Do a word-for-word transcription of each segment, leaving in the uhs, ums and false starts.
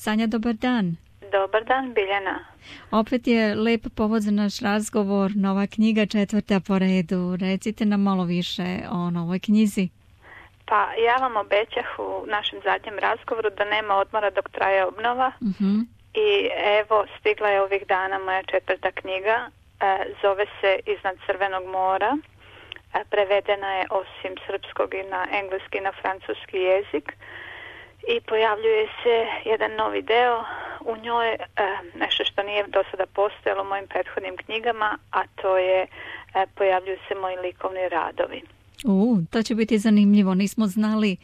Sanja, dobar dan. Dobar dan, Biljana. Opet je lep povod za naš razgovor, nova knjiga, četvrta po redu. Recite nam malo više o novoj knjizi. Pa ja vam obećah u našem zadnjem razgovoru da nema odmora dok traje obnova. Uh-huh. I evo, stigla je ovih dana moja četvrta knjiga. E, zove se Iznad crvenog mora. E, prevedena je osim srpskog i na engleski i na francuski jezik. I pojavljuje se jedan novi deo u njoj, e, nešto što nije do sada postojalo u mojim prethodnim knjigama, a to je, e, pojavljuju se moji likovni radovi. U, to će biti zanimljivo. Nismo znali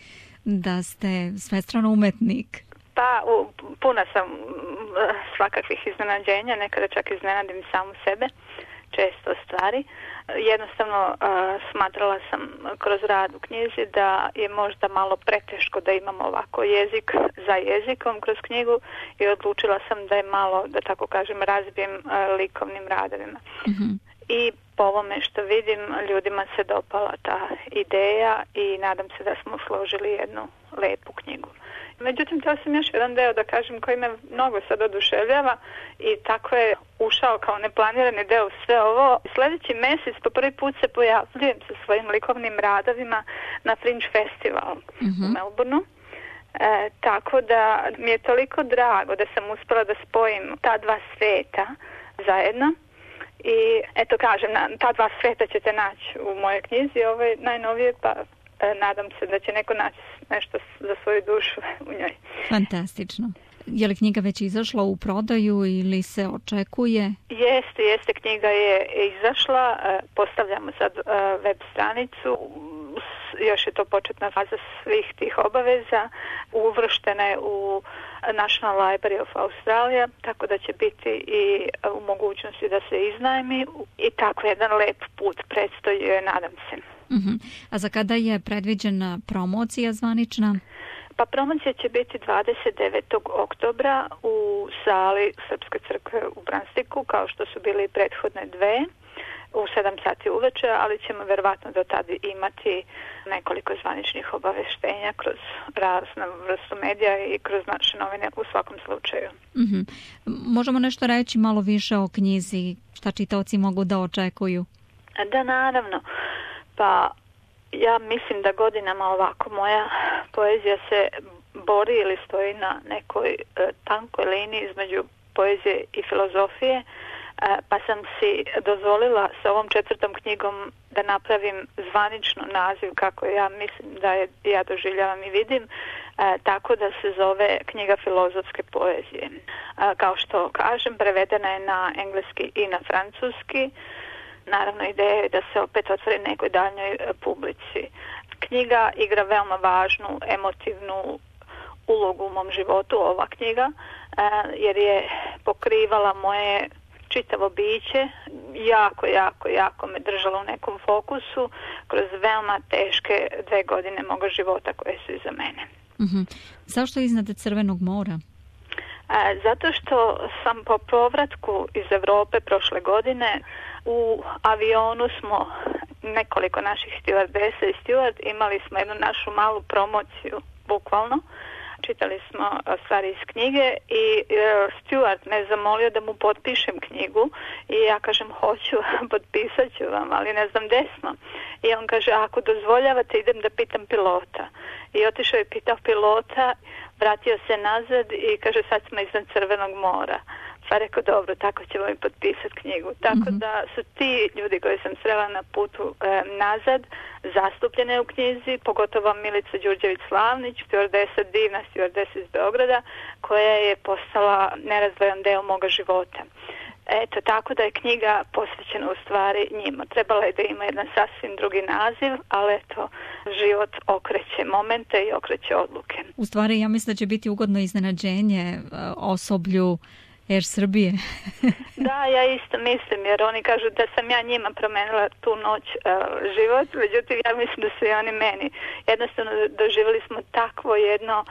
da ste svestrano umetnik. Pa, u, puna sam svakakvih iznenađenja, nekada čak iznenadim samu sebe, često stvari. Jednostavno uh, smatrala sam kroz rad u knjizi da je možda malo preteško da imam ovako jezik za jezikom kroz knjigu i odlučila sam da je malo, da tako kažem, razbijem uh, likovnim radovima. Mm-hmm. I po ovome što vidim, ljudima se dopala ta ideja i nadam se da smo složili jednu lepu knjigu. Međutim, htjela sam još jedan deo da kažem koji me mnogo sad oduševljava i tako je ušao kao neplanirani deo u sve ovo. Sljedeći mjesec po prvi put se pojavljujem sa svojim likovnim radovima na Fringe Festival mm-hmm. u Melbourneu. E, tako da mi je toliko drago da sam uspjela da spojim ta dva sveta zajedno. I eto kažem, ta dva sveta ćete naći u mojoj knjizi, ovo je najnovije, pa e, nadam se da će neko naći nešto za svoju dušu u njoj. Fantastično. Je li knjiga već izašla u prodaju ili se očekuje? Jeste, jeste, knjiga je izašla, e, postavljamo sad e, web stranicu, još je to početna faza svih tih obaveza, uvrštena je u National Library of Australia, tako da će biti i u mogućnosti da se iznajmi i tako jedan lep put predstoji, nadam se. Uh-huh. A za kada je predviđena promocija zvanična? Pa promocija će biti dvadeset devetog oktobra u sali Srpske crkve u Branstiku, kao što su bili prethodne dve, u sedam sati uveče, ali ćemo verovatno do tada imati nekoliko zvaničnih obaveštenja kroz raznu vrstu medija i kroz naše novine u svakom slučaju. Mm-hmm. Možemo nešto reći malo više o knjizi, šta čitaoci mogu da očekuju? Da, naravno. Pa ja mislim da godinama ovako moja poezija se bori ili stoji na nekoj e, tankoj liniji između poezije i filozofije. Pa sam si dozvolila sa ovom četvrtom knjigom da napravim zvanično naziv kako ja mislim da je ja doživljavam i vidim, e, tako da se zove knjiga filozofske poezije. E, kao što kažem, prevedena je na engleski i na francuski. Naravno, ideja je da se opet otvori nekoj daljnjoj publici. Knjiga igra veoma važnu emotivnu ulogu u mom životu, ova knjiga, e, jer je pokrivala moje čitavo biće, jako, jako, jako me držalo u nekom fokusu kroz veoma teške dve godine moga života koje su iza mene. Uh-huh. Zašto iznad crvenog mora? E, zato što sam po povratku iz Europe prošle godine u avionu smo nekoliko naših stewardesa i steward, imali smo jednu našu malu promociju, bukvalno. Čitali smo stvari iz knjige i e, steward me zamolio da mu potpišem knjigu i ja kažem hoću, potpisat ću vam, ali ne znam gdje smo. I on kaže, ako dozvoljavate idem da pitam pilota. I otišao je pitao pilota, vratio se nazad i kaže sad smo iznad Crvenog mora. Pa rekao, dobro, tako ćemo i potpisati knjigu. Tako mm-hmm. da su ti ljudi koji sam srela na putu e, nazad zastupljene u knjizi, pogotovo Milica Đurđević-Slavnić, stewardesa, divna stewardesa iz Beograda, koja je postala nerazdvojan deo moga života. Eto, tako da je knjiga posvećena u stvari njima. Trebala je da ima jedan sasvim drugi naziv, ali eto, život okreće momente i okreće odluke. U stvari, ja mislim da će biti ugodno iznenađenje osoblju Air Srbije. Da, ja isto mislim, jer oni kažu da sam ja njima promenila tu noć uh, život, međutim ja mislim da su i oni meni. Jednostavno doživjeli smo takvo jedno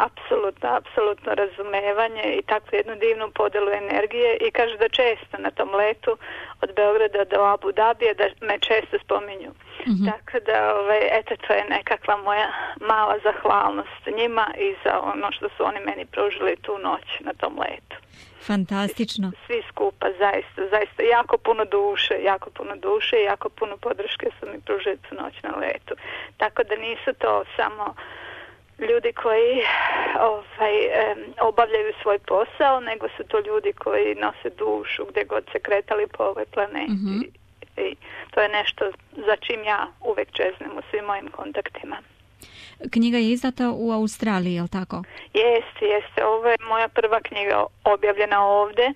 apsolutno, apsolutno razumevanje i takvu jednu divnu podelu energije i kažu da često na tom letu od Beograda do Abu Dabija da me često spominju. Mm-hmm. Tako da, ovaj, eto, to je nekakva moja mala zahvalnost njima i za ono što su oni meni pružili tu noć na tom letu. Fantastično. Svi skupa, zaista, zaista, jako puno duše, jako puno duše i jako puno podrške su mi pružili tu noć na letu. Tako da nisu to samo ljudi koji ovaj, obavljaju svoj posao, nego su to ljudi koji nose dušu gdje god se kretali po ovoj planeti. Mm-hmm. I to je nešto za čim ja uvek čeznem u svim mojim kontaktima. Knjiga je izdata u Australiji, je li tako? Jeste, jeste. Ovo je moja prva knjiga objavljena ovdje.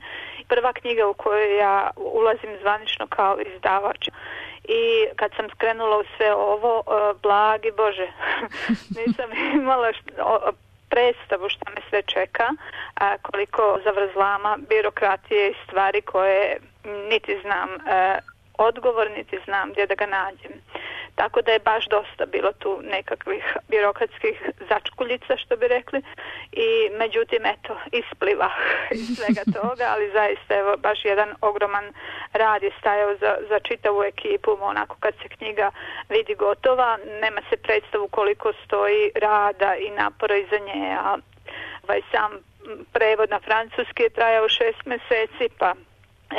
Prva knjiga u kojoj ja ulazim zvanično kao izdavač. I kad sam skrenula u sve ovo, blagi Bože, nisam imala što, predstavu šta me sve čeka, a koliko zavrzlama, birokratije i stvari koje niti znam odgovor, niti znam gdje da ga nađem. Tako da je baš dosta bilo tu nekakvih birokratskih začkuljica, što bi rekli, i međutim, eto, ispliva iz svega toga, ali zaista, evo, baš jedan ogroman rad je stajao za, za čitavu ekipu, onako kad se knjiga vidi gotova, nema se predstavu koliko stoji rada i napora iza nje, a ovaj, sam prevod na francuski je trajao šest mjeseci, pa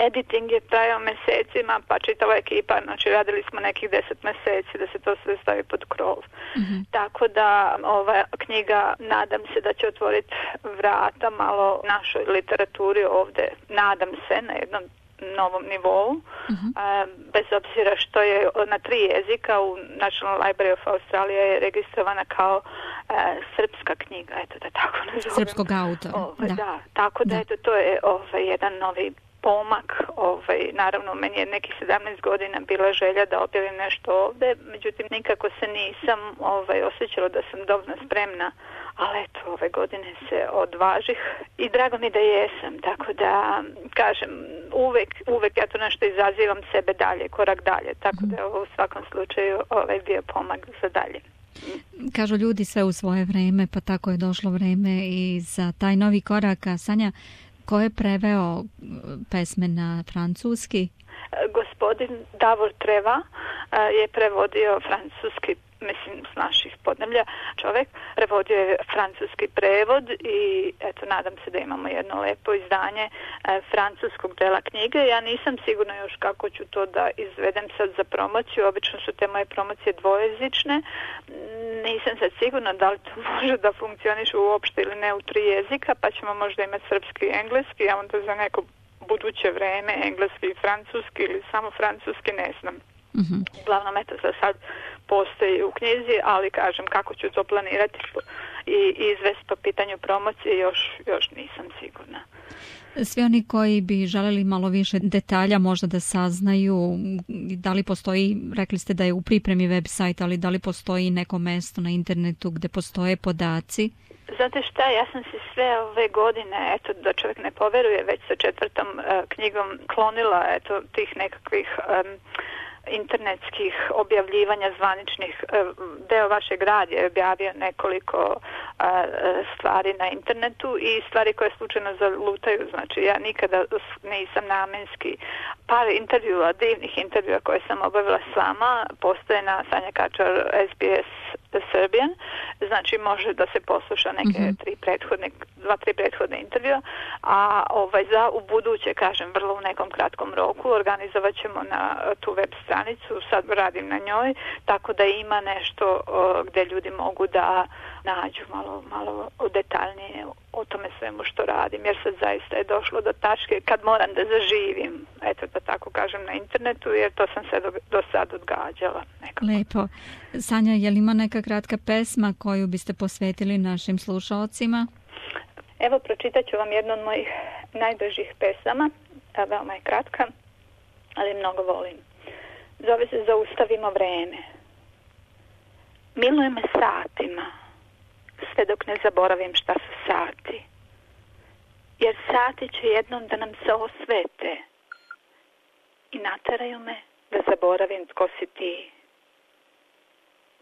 editing je trajao mjesecima, pa čitava ekipa, znači radili smo nekih deset mjeseci da se to sve stavi pod krov. Mm-hmm. Tako da ova knjiga, nadam se da će otvoriti vrata malo našoj literaturi ovdje, nadam se, na jednom novom nivou, mm-hmm. a, bez obzira što je na tri jezika u National Library of Australia je registrovana kao a, srpska knjiga, eto da tako nazovem. Srpskog autora. Ove, da. da, tako da, da. eto to je ovaj, jedan novi pomak, ovaj, naravno meni je nekih sedamnaest godina bila želja da objavim nešto ovdje, međutim nikako se nisam ovaj, osjećala da sam dovoljno spremna, ali eto ove godine se odvažih i drago mi da jesam, tako da kažem, uvek, uvek ja to nešto izazivam sebe dalje, korak dalje, tako da je ovo u svakom slučaju ovaj, bio pomak za dalje. Kažu ljudi sve u svoje vreme, pa tako je došlo vreme i za taj novi korak. Sanja, ko je preveo pesme na francuski? Gospodin Davor Treva je prevodio francuski, mislim s naših podneblja, čovjek prevodio je francuski prevod i eto nadam se da imamo jedno lepo izdanje e, francuskog dela knjige. Ja nisam sigurna još kako ću to da izvedem sad za promociju, obično su te moje promocije dvojezične, nisam sad sigurna da li to može da funkcioniše uopšte ili ne u tri jezika, pa ćemo možda imati srpski i engleski, a onda za neko buduće vreme engleski i francuski ili samo francuski, ne znam. Mm-hmm. Uglavnom, eto, za sad postoji u knjizi, ali kažem kako ću to planirati i izvesti po pitanju promocije, još, još nisam sigurna. Svi oni koji bi želeli malo više detalja možda da saznaju, da li postoji, rekli ste da je u pripremi website, ali da li postoji neko mesto na internetu gde postoje podaci? Znate šta, ja sam se sve ove godine, eto da čovjek ne poveruje, već sa četvrtom uh, knjigom klonila eto tih nekakvih um, internetskih objavljivanja zvaničnih. Deo vašeg radija je objavio nekoliko a, stvari na internetu i stvari koje slučajno zalutaju. Znači ja nikada nisam namenski. Par intervjua, divnih intervjua koje sam obavila s vama postoje na Sanja Kačar S B S Serbian. Znači može da se posluša neke mm-hmm. tri prethodne, dva, tri prethodne intervjua, a ovaj, za u buduće, kažem, vrlo u nekom kratkom roku organizovat ćemo na tu web stranicu, sad radim na njoj, tako da ima nešto o, gdje ljudi mogu da nađu malo, malo detaljnije o tome svemu što radim, jer sad zaista je došlo do tačke kad moram da zaživim, eto da tako kažem, na internetu, jer to sam se do, do sad odgađala. Nekako. Lepo. Sanja, je li ima neka kratka pesma koju biste posvetili našim slušalcima? Evo, pročitat ću vam jednu od mojih najdražih pesama, veoma je kratka, ali mnogo volim. Zove se Zaustavimo vreme. Miluje me satima, sve dok ne zaboravim šta su sati. Jer sati će jednom da nam se osvete i nateraju me da zaboravim tko si ti.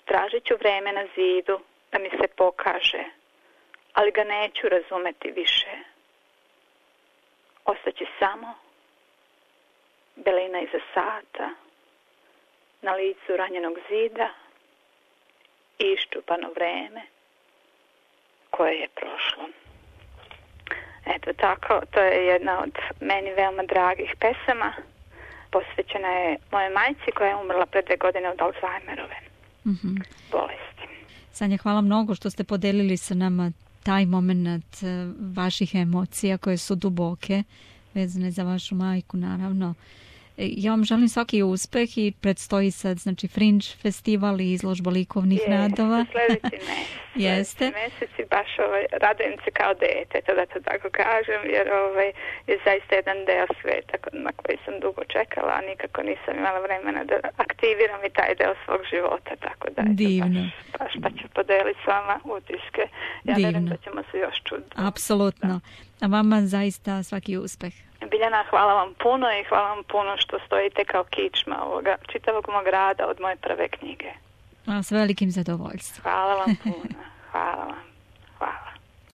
Tražit ću vreme na zidu da mi se pokaže, ali ga neću razumeti više. Ostaće samo belina iza sata, na licu ranjenog zida i iščupano vreme koje je prošlo. Eto tako, to je jedna od meni veoma dragih pesama. Posvećena je moje majci koja je umrla pre dve godine od Alzheimerove mm-hmm. bolesti. Sanja, hvala mnogo što ste podelili sa nama taj moment vaših emocija koje su duboke, vezane za vašu majku, naravno. Ja vam želim svaki uspeh i predstoji sad, znači, Fringe festival i izložba likovnih je, radova. Sljedeći mesec. Jeste. Mesec i baš ovaj, radujem se kao dete, to da to tako kažem, jer ovaj, je zaista jedan deo sveta na koji sam dugo čekala, a nikako nisam imala vremena da aktiviram i taj deo svog života, tako da divno. Baš, baš pa ću podeliti s vama utiske. Ja vjerujem da ćemo se još čuti. Apsolutno. Da. A vama zaista svaki uspeh. Biljana, hvala vam puno i hvala vam puno što stojite kao kičma ovoga čitavog mog rada od moje prve knjige. A s velikim zadovoljstvom. Hvala vam puno. Hvala vam. Hvala.